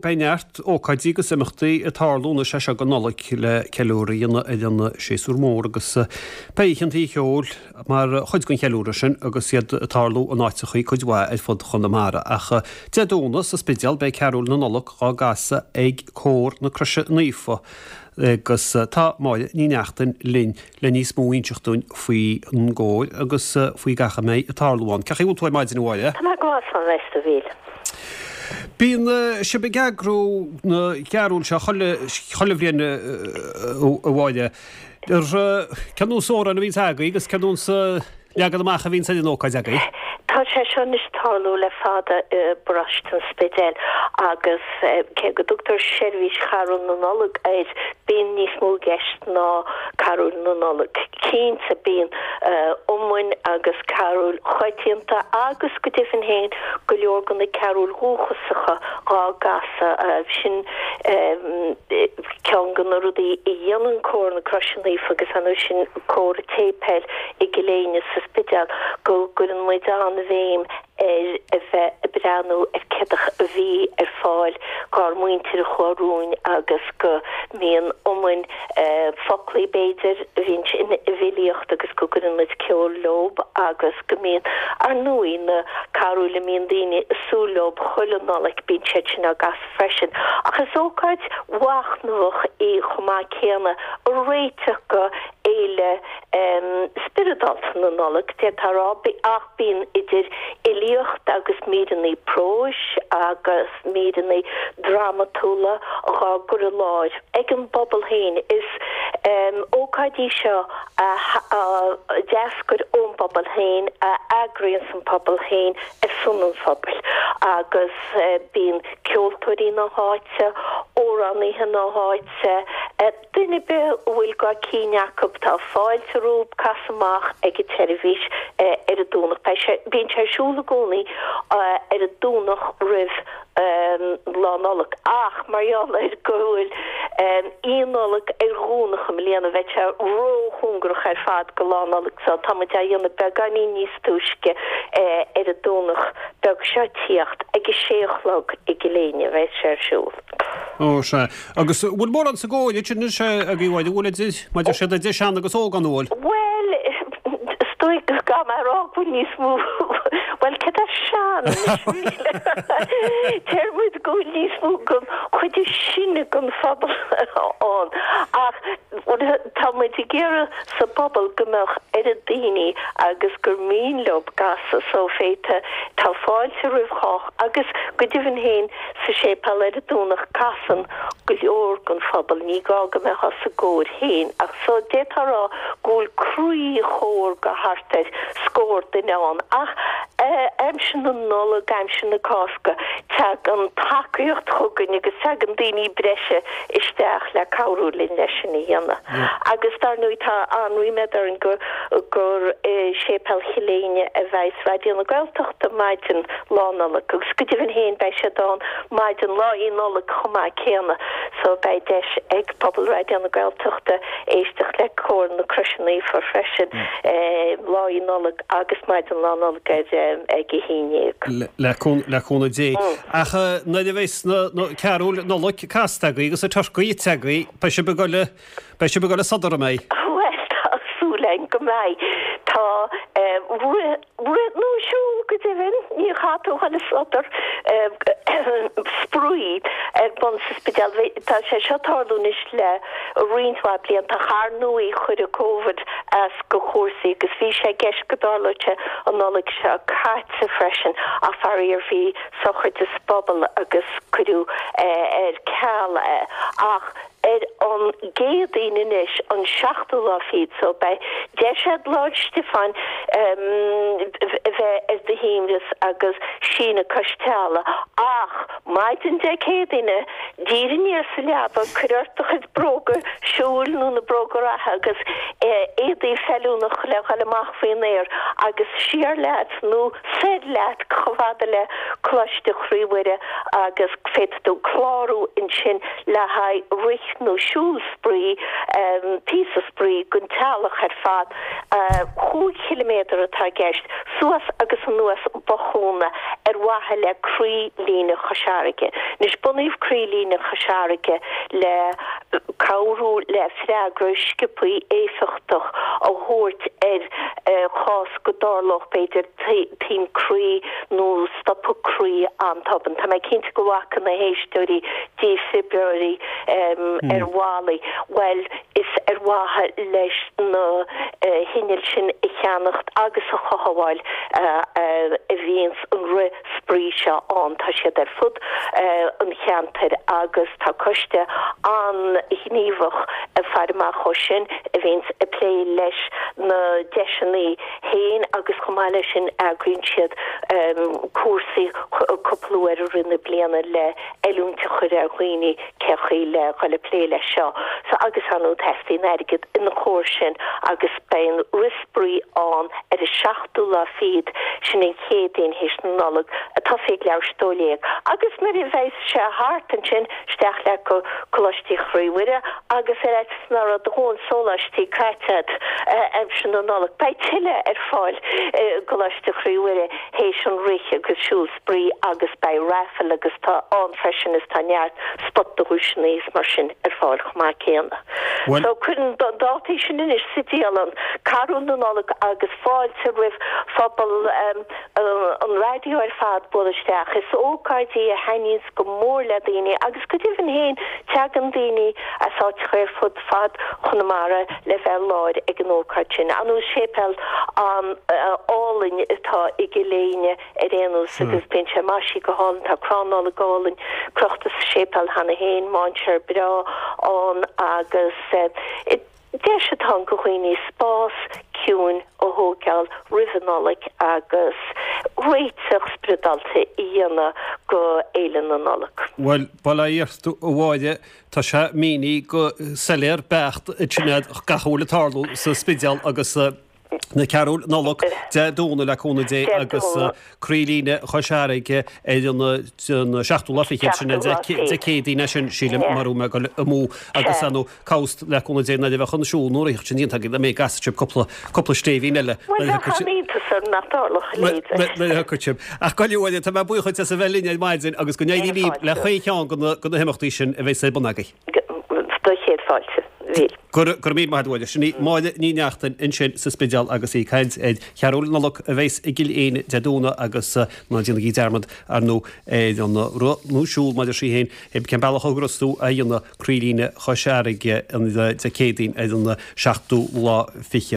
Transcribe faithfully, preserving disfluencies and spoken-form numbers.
beidh neart ócáidí agus imeachtaí ag tarlú anois as seo go Nollaig le ceiliúradh a dhéanamh ar an séasúr mór agus beidh oícheanta cheoil mar chuid den cheiliúradh sin agus iad ag tarlú in áiteachaí cuid mhaith ar fud Chonamara. Ach Dé Domhnaigh sa Spidéal beidh Carúil na Nollag á gcasadh ag Cór na Croise Naofa agus tá Máire Ní Neachtain linn le níos mó a inseacht dúinn faoi an gcór agus faoi gach a mbeidh ag tarlú ann. Cén chaoi a bhfuil tú ar maidin a Mháire? Tá mé go maith a Mhíchíl. Bíonn sibh ag eagrú na gcarúl seo chuile bhliain a Mháire. Cén nós amhrán a bhíonns agaibh agus cén nós leagan amach a bhíonns ar an ócáid agaibh? Tá sé seo anois ag tarlú le fada i bparóiste an Spidéil agus cé go dtugtar seirbhís Charúil na Nollag air, bíonn níos mó i gceist ná Carúil na Nollag. Cinnte bíonn iomainn agus carúil choitianta agus go deimhin féin go leor de na carúil dhúchasacha dhá gcasadh. Sin ceann de na rudaí a dhéanann Cór na Croise Naofa agus ar ndóigh sin cór an tséipéil i gCill Éinne sa Spidéal go gcuireann muid an-bhéim ar a bheith ag breathnú ar céard a bhí ar fáil dhár muintir a chuaigh romhainn agus go mbíonn iomainn, foclaí b'fhéidir, a bhíonn i bhfilíocht agus go gcuireann muid ceol leob agus go mbíonn, ar ndóigh, na carúil a mbíonn daoine ag súil leob chuile Nollaig, bíonn siad sin á gcasadh freisin. Ach is ócáid mhachnamhach í chomh maith céanna, réiteach go fhéile spioradálta na Nollag, d'fhéadfá a rá, ach bíonn idir fhilíocht agus míreanna próis agus míreanna drámatúla dhá gcur i láthair ag an bpobal féin. Is ócáid í seo a d'eascair ón bpobal féin, a eagraíonns an pobal féin ar son an phobail agus bíonn ceoltóirí na háite, amhránaithe na háite, Duine ar bith a bhfuil go cinn acu, tá fáilte rompu casadh amach ag an tseirbhís ar an Domhnach. Beidh sé, bíonn sé ar siúl i gcónaí ar an Domhnach roimh Lá Nollag ach mar gheall ar go bhfuil Oíche Nollag ar Dhomhnach i mbliana bheidh sé róchóngarach ar fad go Lá Nollag so tá muid á dhéanamh beagáinín níos túisce ar an Domhnach beag seo ag tíocht ag a sé a chlog i gCill Éinne a bheidh sé ar siúl. Ó sea. Agus an bhfuil mórán sa gcór sin anois agaibh, an bhfuil idir, mar deir siad, idir sean agus óg ann, an bhfuil? Bhuel, is dóigh go gcaithfidh mé a rá go bhfuil níos mó, bhuel, céard é sean anois, míle? Deir muid go bhfuil níos mó den chuid is sine den phobal ann ach tá muid ag iarraidh sa bpobal go mbeadh oiread daoine agus gur mian leo casadh so féadfaidh, tá fáilte roimh chách agus go deimhin féin sa séipéal ar an Domhnach casann go leor den phobal, ní gá go mbeifeá sa gcór féin ach so d'fhéadfá a rá go bhfuil croí-chór de thart ar scór duine ann ach aimsir na Nollag, aimsir na Cásca tagann tacaíocht chugainn agus tagann daoine breise isteach le cabhrú linn leis sin a dhéanamh. Agus dar ndóigh tá an-ríméad orainn go gur i Séipéal Chill Éinne a bheas Raidió na Gaeltachta maidin Lá Nollag agus go deimhin féin beidh siad ann maidin Lá Nollag chomh maith céanna so beidh deis ag pobal Raidió na Gaeltachta éisteacht le Cór na Croise Naofa freisin Lá Nollag agus maidin Lá Nollag ar ag a haon déag. Le cúnamh Dé. Ach nuair a bheas na carúil Nollag casta agaibh agus an turcaí ite agaibh, beidh sibh ag dul, beidh sibh ag dul ag sodar, an mbeidh? Bhuel, tá súil againn go mbeidh. Tá rith, rith nó siúl go deimhin, ní chaithfidh tú a dhul ag sodar, spraoi ar bun sa Spidéal. Tá sé seo ag tarlú anois le roinnt mhaith blianta ach ar ndóigh chuir Covid as go chúrsaí agus bhí sé i gceist go dtarlódh sé an Nollaig seo caite freisin ach faraor bhí sochraid sa bpobal agus cuireadh ar ceal é ach ar an gCéadaoin anois, an seachtú lá fichead, so beidh deis a'd Lá 'le Stiofáin a bheith ar do shuaimhneas agus síneadh cois teallaigh ach maidin Dé Céadaoine, d'éirigh aniar sa leaba, cuir ort do chuid bróga siúil nó na bróga reatha agus éadaí feiliúnach le dhul amach faoin aer agus siar leat nó soir leat chomh fada le Coláiste Chroí Mhuire agus féadfaidh tú clárú ansin le haghaidh rith nó siúl spraoi, píosa spraoi don teaghlach ar fad. Chúig chiliméadar atá i gceist, suas agus anuas Bothúna ar mhaithe le Croí-Líne Chois Fharraige. Anois, bunaíodh Croí-Líne Chois Fharraige le cabhrú le freagra sciobthaí éifeachtach a thabhairt ar chás go dtarlódh, b'fhéidir, taom croí nó stopadh croí an-tobann. Tá mé cinnte go bhfaca na héisteoirí dífhibrileoirí ar bhallaí. Bhuel, is ar mhaithe leis na hinnill sin a cheannacht agus a chothabháil a bhíonns an rith spraoi seo ann. Tá siad ar fud an cheantair agus tá coiste an-ghníomhach ag faire amach dhó sin a bhíonns ag plé leis na deiseanna féin agus chomh maith leis sin eagraíonn siad cúrsaí cúpla uair i rith na bliana le oiliúint a chur ar dhaoine cé chaoi le dhul ag plé leis seo. So agus ar ndóigh teastaíonn airgead ina chomhair sin agus beidh an rith spraoi ann ar an seachtú lá fichead, sin an Chéadaoin théis na Nollag, ag tosú ag leathuair théis dó dhéag. Agus nuair a bheas sé thart ansin, isteach leat go Coláiste Chroí Mhuire agus ar fhaitíos nach raibh do dhóthain sóláistí caite agat aimsir na Nollag, beidh tuilleadh ar fáil i gColáiste Chroí Mhuire théis an rith agus siúl spraoi agus beidh raffle agus tá ann freisin is tá neart spota dhuaiseanna is mar sin ar fáil chomh maith céanna. So cuir na dátaí sin anois sa dialann, Carúil na Nollag agus fáilte roimh phobal an raidió ar fad bualadh isteach. Is ócáid í a thaitníonns go mór le daoine agus go deimhin féin teagann daoine as áiteacha ar fud fad Chonamara le bheith i láthair ag an ócáid sin. Ar ndóigh séipéal an-álainn atá i gCill Éinne ar aon nós agus bíonn sé maisithe go hálainn, tá crann Nollag álainn crochta sa séipéal cheana féin, mainséar breá ann agus deis atá ann do dhaoine spás ciúin a thógáil roimh an Nollaig agus réiteach spioradálta a dhéanamh go Fhéile na Nollag. Bhuel, bail ó Dhia ort, a Mháire, tá sé mínithe go soiléir beacht ansin agat gach a bhfuil ag tarlú sa Spidéal agus na Carúil Nollag Dé Domhnaigh le cúnamh Dé agus Croílíne Chois Fharraige ar an seachtú lá fichead sin Dé Céadaoin é sin sílim mura bhfuil mé ag dul amú agus ar ndóigh cá bhfios le cúnamh Dé nuair a bheadh an siúl nó rith sin déanta agaibh go mbeidh gcasfaidh sibh cúpla cúpla stéibhín eile Bhuel bheadh an-iontas orm nach dtarlódh a leithéid. Nuair a thiocfaidh sibh. Ach go leor, tá mé buíoch duit as a bheith linn ar maidin agus go n-éirí libh le chaon cheann de na himeachtaí sin a bheas ar bun agaibh. Do chéad fáilte. Bhí. Go raibh míle maith agat a Mháire. Sin í Máire Ní Neachtain ansin sa Spidéal agus í ag caint ar Charúil Nollag a bheas i gCill Éinne Dé Domhnaigh agus ná déanaigí dearmad ar ndóigh ar an rith nó siúl mar a deir sí féin, cén bealach a thograíos tú a dhéanamh Croílíne Chois Fharraige Dé Céadaoin ar an seachtú lá fichead.